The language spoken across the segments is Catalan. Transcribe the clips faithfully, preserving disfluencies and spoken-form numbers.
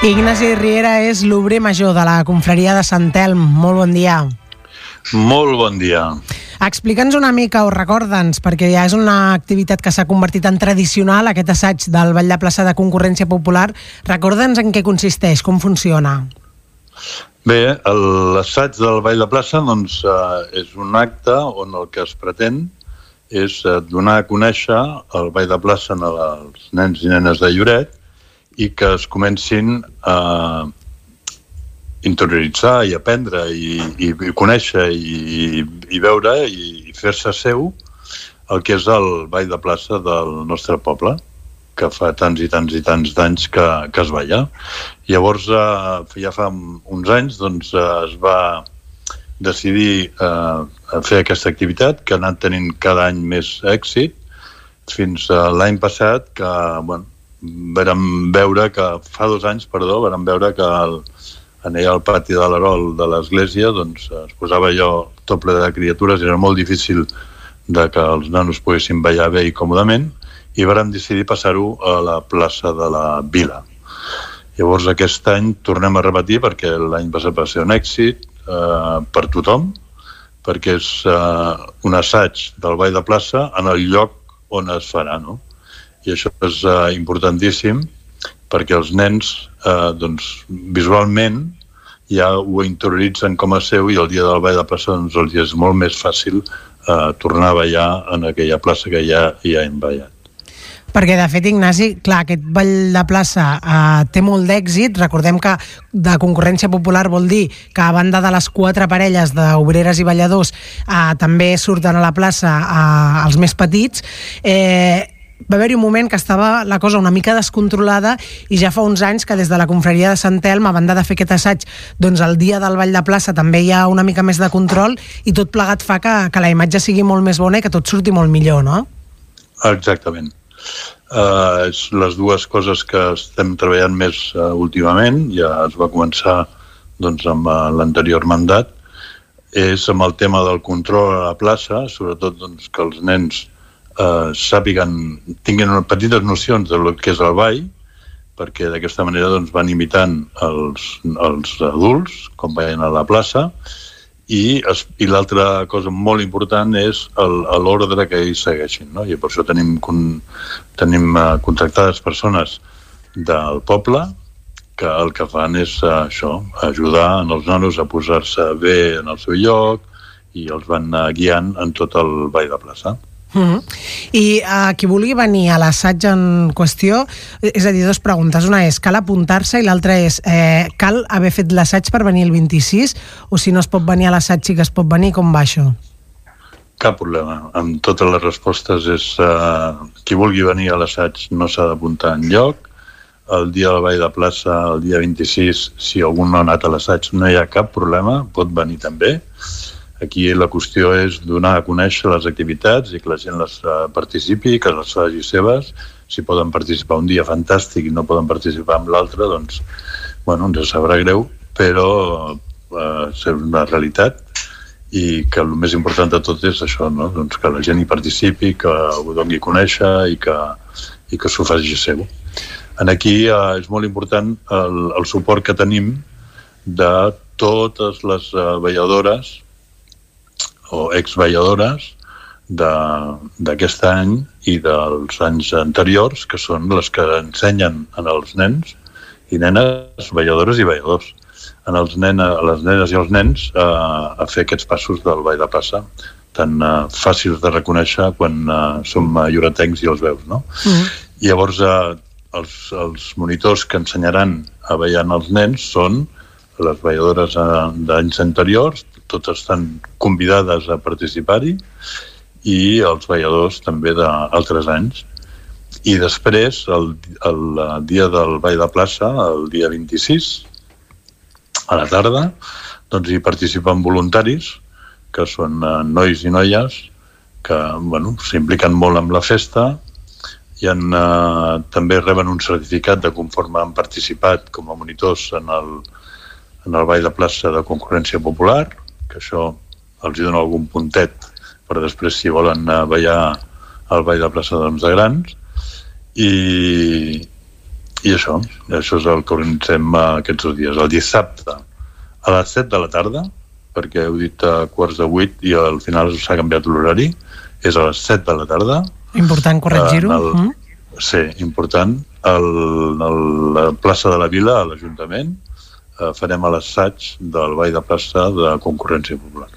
Ignasi Riera és l'obrer major de la confraria de Sant Elm. Molt bon dia. Molt bon dia. Explica'ns una mica o recorda'ns, perquè ja és una activitat que s'ha convertit en tradicional, aquest assaig del Ball de Plaça de Concurrència Popular. Recorda'ns en què consisteix, com funciona. Bé, l'assaig del Ball de Plaça doncs, eh, és un acte on el que es pretén és donar a conèixer el Ball de Plaça als nens i nenes de Lloret i que es comencin a interioritzar i aprendre i, i, i conèixer i, i veure i, i fer-se seu el que és el Ball de Plaça del nostre poble, que fa tants i tants i tants d'anys que, que es balla. Llavors, eh, ja fa uns anys, doncs, eh, es va decidir eh, fer aquesta activitat, que ha anat tenint cada any més èxit, fins a l'any passat, que, bueno, vam veure que, fa dos anys, perdó, vam veure que el, en allà al pati de l'Arol de l'església doncs, es posava allò tot ple de criatures, era molt difícil de que els nanos poguessin ballar bé i còmodament, i vam decidir passar-ho a la plaça de la Vila. Llavors aquest any tornem a repetir, perquè l'any passat va ser un èxit eh, per tothom, perquè és eh, un assaig del Ball de Plaça en el lloc on es farà, no? I això és eh, importantíssim, perquè els nens eh, doncs, visualment ja ho interioritzen com a seu i el dia del Ball de Plaça doncs, els és molt més fàcil eh, tornar a ballar en aquella plaça que ja, ja hem ballat. Perquè, de fet, Ignasi, clar, aquest Ball de Plaça eh, té molt d'èxit. Recordem que de concurrència popular vol dir que a banda de les quatre parelles d'obreres i balladors eh, també surten a la plaça eh, els més petits. Eh, va haver-hi un moment que estava la cosa una mica descontrolada i ja fa uns anys que des de la confraria de Sant Elm, a banda de fer aquest assaig, doncs el dia del Ball de Plaça també hi ha una mica més de control i tot plegat fa que, que la imatge sigui molt més bona i que tot surti molt millor, no? Exactament. Uh, les dues coses que estem treballant més uh, últimament, ja es va començar doncs, amb uh, l'anterior mandat, és amb el tema del control a la plaça, sobretot doncs, que els nens uh, sàpiguen, tinguin petites nocions del que és el ball, perquè d'aquesta manera doncs, van imitant els, els adults, com ballen a la plaça, i, i l'altra cosa molt important és l'ordre que ells segueixin, no? I per això tenim, con, tenim uh, contractades persones del poble que el que fan és uh, això, ajudar els nanos a posar-se bé en el seu lloc i els van uh, guiant en tot el Ball de Plaça. Mm-hmm. I uh, qui vulgui venir a l'assaig en qüestió, és a dir, dues preguntes. Una és, cal apuntar-se? I l'altra és, eh, cal haver fet l'assaig per venir el vint-i-sis? O si no es pot venir a l'assaig sí que es pot venir? Com va això? Cap problema. Amb totes les respostes és eh, qui vulgui venir a l'assaig no s'ha d'apuntar enlloc. El dia del Ball de Plaça, el dia vint-i-sis, si algú no ha anat a l'assaig no hi ha cap problema, pot venir també. Aquí la qüestió és donar a conèixer les activitats i que la gent les uh, participi, que les faci seves. Si poden participar un dia, fantàstic, i no poden participar amb l'altre, doncs, bueno, ens sabrà greu, però uh, és una realitat i que el més important de tot és això, no? Doncs que la gent hi participi, que ho doni a conèixer i que, i que s'ho faci seu. En aquí uh, és molt important el, el suport que tenim de totes les uh, balladores o exballadores d'aquest any i dels anys anteriors, que són les que ensenyen en els nens i nenes, balladores i balladors, en els nen, a les nenes i els nens a, a fer aquests passos del Ball de Plaça, tan uh, fàcils de reconèixer quan uh, som lloretencs i els veus, no? Mm. Llavors, uh, els, els monitors que ensenyaran a ballar els nens són les balladores uh, d'anys anteriors, totes estan convidades a participar-hi, i els balladors també d'altres anys. I després, el, el dia del Ball de Plaça, el dia vint-i-sis, a la tarda, doncs hi participen voluntaris, que són eh, nois i noies, que bueno, s'impliquen molt amb la festa, i en, eh, també reben un certificat de conforme han participat com a monitors en el, en el Ball de Plaça de Concurrència Popular, que això els hi dona algun puntet per després si volen ballar al Ball de Plaça doncs, de grans, i, I això, això és el que organitzem aquests dos dies. El dissabte a les set de la tarda, perquè heu dit a quarts de vuit i al final s'ha canviat l'horari, és a les set de la tarda. Important corregir-ho. El, mm. Sí, important. El, el, la plaça de la Vila, a l'Ajuntament, eh, farem l'assaig del ball de plaça de Concurrència Popular.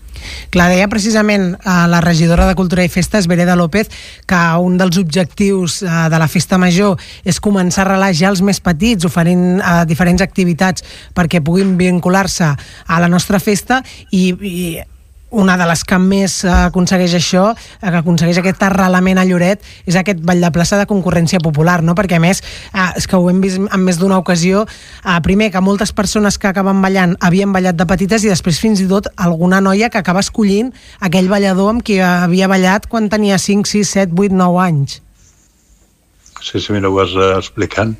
Clar, deia precisament a la regidora de Cultura i Festes, Vereda López, que un dels objectius de la Festa Major és començar a arrelar ja els més petits, oferint eh, diferents activitats perquè puguin vincular-se a la nostra festa, i, i una de les que més aconsegueix això, que aconsegueix aquest arrelament a Lloret, és aquest ball de plaça de Concurrència Popular, no? Perquè a més, eh, és que ho hem vist en més d'una ocasió, eh, primer que moltes persones que acaben ballant havien ballat de petites i després fins i tot alguna noia que acaba escollint aquell ballador amb qui havia ballat quan tenia cinc, sis, set, vuit, nou anys. Sí, sí, mira, ho vas explicant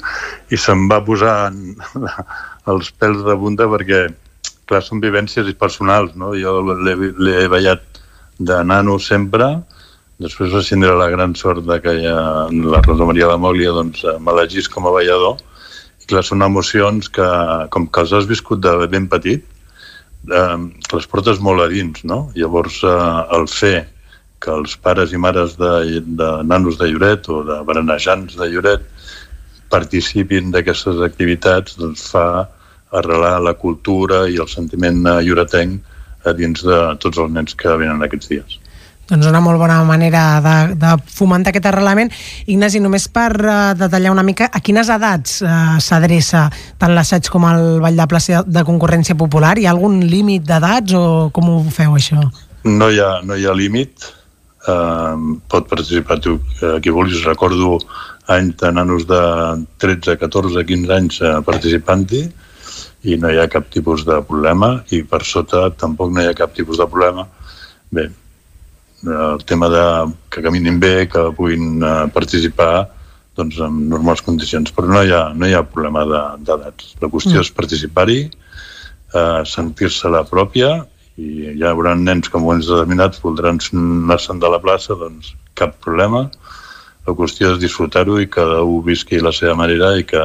i se'm va posar els pèls de punta perquè clar, són vivències personals, no? Jo l'he ballat de nano sempre, després vaig tindre la gran sort de que ja, la Rosa Maria de Mòglia doncs, m'elegís com a ballador, i clar, són emocions que, com que els has viscut de ben petit, eh, les portes molt a dins, no? Llavors, eh, el fer que els pares i mares de, de nanos de Lloret o de berenejants de Lloret participin d'aquestes activitats, doncs fa arrelar la cultura i el sentiment lloretenc a dins de tots els nens que venen aquests dies. Doncs una molt bona manera de, de fomentar aquest arrelament. Ignasi, només per uh, detallar una mica, a quines edats uh, s'adreça tant l'assaig com el ball de plaça de Concurrència Popular? Hi ha algun límit d'edats o com ho feu, això? No hi ha, no hi ha límit. Uh, pot participar tu, uh, qui vulguis. Recordo anys de nanos de tretze, catorze, quinze anys uh, participant-hi, i no hi ha cap tipus de problema, i per sota tampoc no hi ha cap tipus de problema. Bé, el tema de que caminin bé, que puguin uh, participar doncs, en normals condicions, però no hi ha, no hi ha problema d'edats. La qüestió mm. és participar-hi, uh, sentir-se la pròpia, i hi haurà nens que en moments determinats voldran anar-se'n de la plaça, doncs cap problema. La qüestió és disfrutar-ho i que cada un visqui la seva manera i que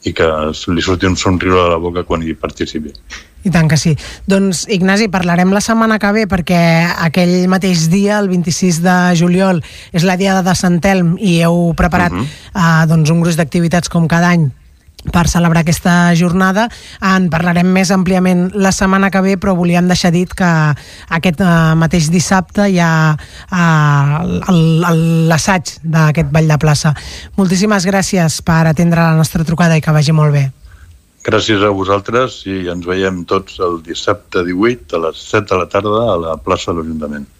i que li surti un somriure a la boca quan hi participi. I tant que sí. Doncs, Ignasi, parlarem la setmana que ve perquè aquell mateix dia, el vint-i-sis de juliol, és la Diada de Sant Elm i heu preparat uh-huh. uh, doncs un gruix d'activitats com cada any per celebrar aquesta jornada. En parlarem més àmpliament la setmana que ve, però volíem deixar dit que aquest uh, mateix dissabte hi ha uh, l'assaig d'aquest ball de plaça. Moltíssimes gràcies per atendre la nostra trucada i que vagi molt bé. Gràcies a vosaltres i ens veiem tots el dissabte divuit a les set de la tarda a la plaça de l'Ajuntament.